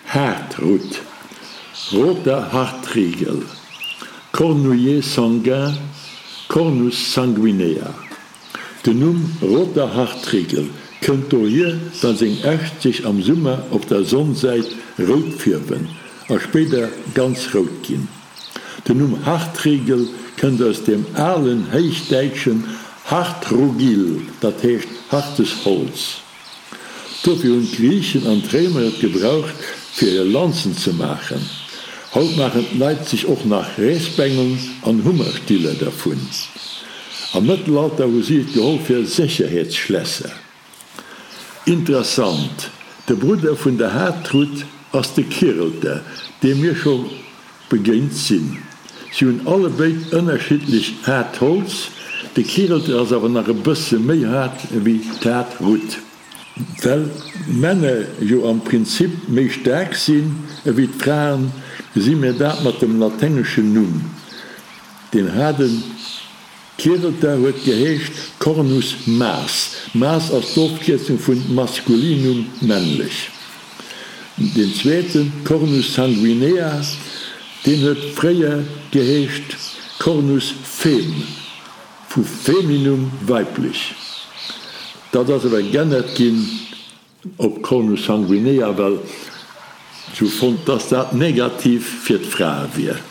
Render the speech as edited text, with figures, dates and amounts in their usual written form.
Haardrutt, Roter Hartriegel, Cornouiller sanguin, Cornus sanguinea. Den Numm Roter Hartriegel kënnt dohier, well seng Äscht sech am Summer op der Sonnsäit rout fierwen a spéider ganz rout ginn. Den Numm Hartriegel kënnt aus dem alen héichdäitschen Hartrugil, dat heescht hartes Holz. Dofir hunn d'Griichen an d'Réimer et gebraucht fir hir Lanzen ze maachen. Haut maachen d'Leit sech och nach Reesbengeln an Hummerstiller dervun. Am Mëttelalter hu si et geholl fir Sécherheetsschlässer. Interessant, de Brudder vun der Haardtrut ass de Kirelter, deem mir scho begéint sinn. Si hunn allebéid ënnerschiddlech haart Holz, de Kirelter ass awer nach e bësse méi haart ewéi d'Haardrutt. Well d'Männer jo am Prinzip méi staark sinn ewéi d'Fraen, gesi mir dat mat dem laténgeschen Numm, deen haarden. Kirelter huet geheescht Cornus mas. Mas ass d'Ofkierzung vun maskulinum, männlech. Deen zweeten, Cornus sanguinea, deen huet fréier geheescht Cornus fem, vu feminum, weiblech. Dat ass awer g'ännert ginn op Cornus sanguinea, well se hu fonnt, dass dat negativ fir d'Frae wier.